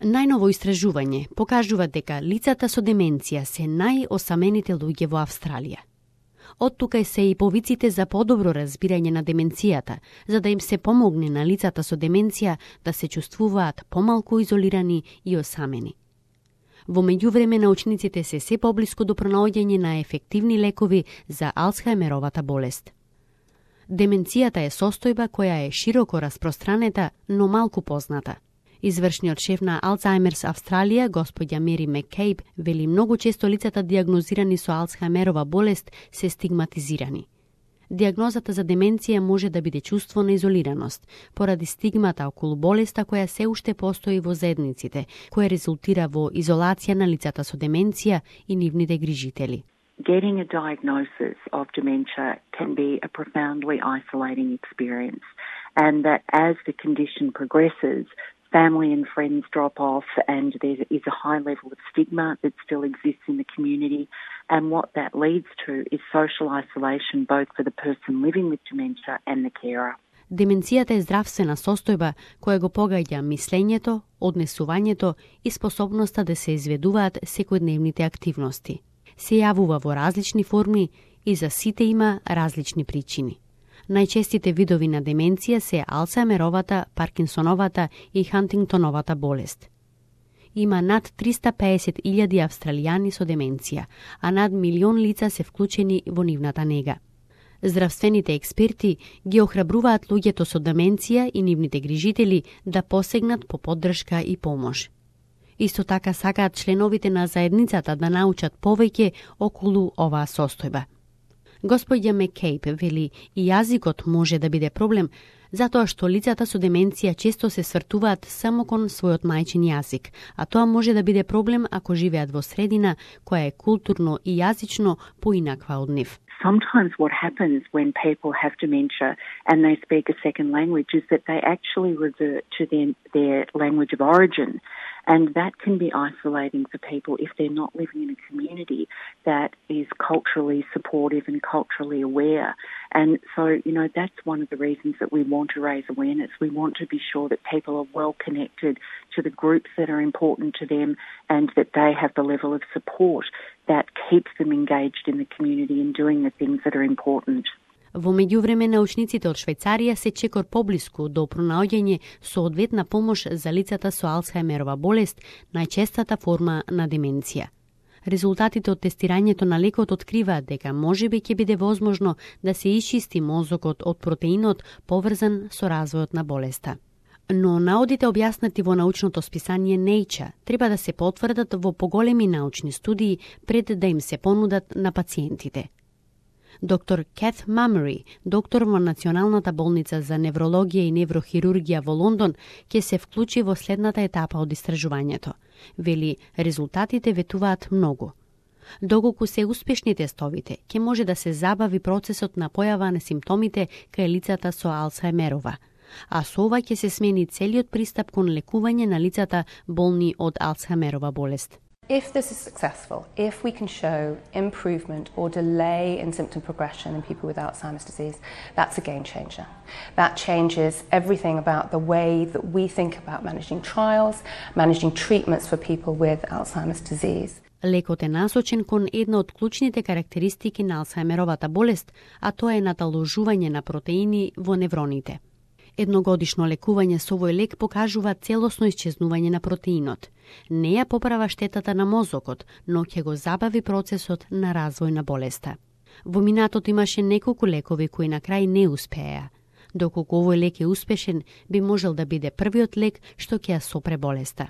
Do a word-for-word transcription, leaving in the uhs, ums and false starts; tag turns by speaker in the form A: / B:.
A: Најново истражување покажува дека лицата со деменција се најосамените луѓе во Австралија. Од тука се и повиците за подобро разбирање на деменцијата, за да им се помогне на лицата со деменција да се чувствуваат помалку изолирани и осамени. Во меѓувреме научниците се се поблиску до пронаоѓање на ефективни лекови за Алцхајмеровата болест. Деменцијата е состојба која е широко распространета, но малку позната. Извршниот шеф на Alzheimer's Австралија, господја Мери Маккейб, вели многу често лицата диагнозирани со Алцхајмерова болест се стигматизирани. Диагнозата за деменција може да биде чувство на изолираност, поради стигмата околу болеста која се уште постои во заедниците, која резултира во изолација на лицата со деменција и нивните грижители.
B: Getting a diagnosis of dementia can be a profoundly isolating experience, and that as the condition progresses, family and friends drop off, and there is a high level of stigma that still exists in the community. And what that leads to is social isolation, both for the person living with dementia and the carer.
A: Деменцијата е здравствена состојба која го погаѓа мислењето, однесувањето и способноста да се изведуваат секојдневните активности. Се јавува во различни форми и за сите има различни причини. Најчестите видови на деменција се Алцхајмеровата, Паркинсоновата и Хантингтоновата болест. Има над триста пеесет илјади австралијани со деменција, а над милион лица се вклучени во нивната нега. Здравствените експерти ги охрабруваат луѓето со деменција и нивните грижители да посегнат по поддршка и помош. Исто така сакаат членовите на заедницата да научат повеќе околу оваа состојба. Господја Маккейб вели и јазикот може да биде проблем, затоа што лицата со деменција често се свртуваат само кон својот мајчин јазик, а тоа може да биде проблем ако живеат во средина која е културно и јазично поинаква од нив.
B: Sometimes what happens when people have dementia and they speak a second language is that they actually revert to their, their language of origin. And that can be isolating for people if they're not living in a community that is culturally supportive and culturally aware. And so, you know, that's one of the reasons that we want to raise awareness. We want to be sure that people are well connected to the groups that are important to them and that they have the level of support that keeps them engaged in the community and doing the things that are important.
A: Во меѓувреме, научниците од Швајцарија се чекор поблиску до пронаоѓање соодветна помош за лицата со Алцхајмерова болест, најчестата форма на деменција. Резултатите од тестирањето на лекот откриваат дека можеби ќе биде возможно да се исчисти мозокот од протеинот поврзан со развојот на болеста. Но наодите објаснати во научното списание Nature треба да се потврдат во поголеми научни студии пред да им се понудат на пациентите. Доктор Кет Мамери, доктор во Националната болница за неврологија и неврохирургија во Лондон, ќе се вклучи во следната етапа од истражувањето. Вели, резултатите ветуваат многу. Доколку се успешни тестовите, ќе може да се забави процесот на појава на симптомите кај лицата со Алцхајмерова. А со ова ќе се смени целиот пристап кон лекување на лицата болни од Алцхајмерова болест.
C: If this is successful, if we can show improvement or delay in symptom progression in people with Alzheimer's disease, that's a game changer. That changes everything about the way that we think about managing trials, managing treatments for people with Alzheimer's disease.
A: Лекот е насочен кон една од клучните карактеристики на Алцхајмеровата болест, а тоа е наталожување на протеини во невроните. Едногодишно лекување со овој лек покажува целосно исчезнување на протеинот. Не ја поправа штетата на мозокот, но ќе го забави процесот на развој на болеста. Во минатото имаше неколку лекови кои на крај не успеа. Доколку овој лек е успешен, би можел да биде првиот лек што ќе ја сопре болеста.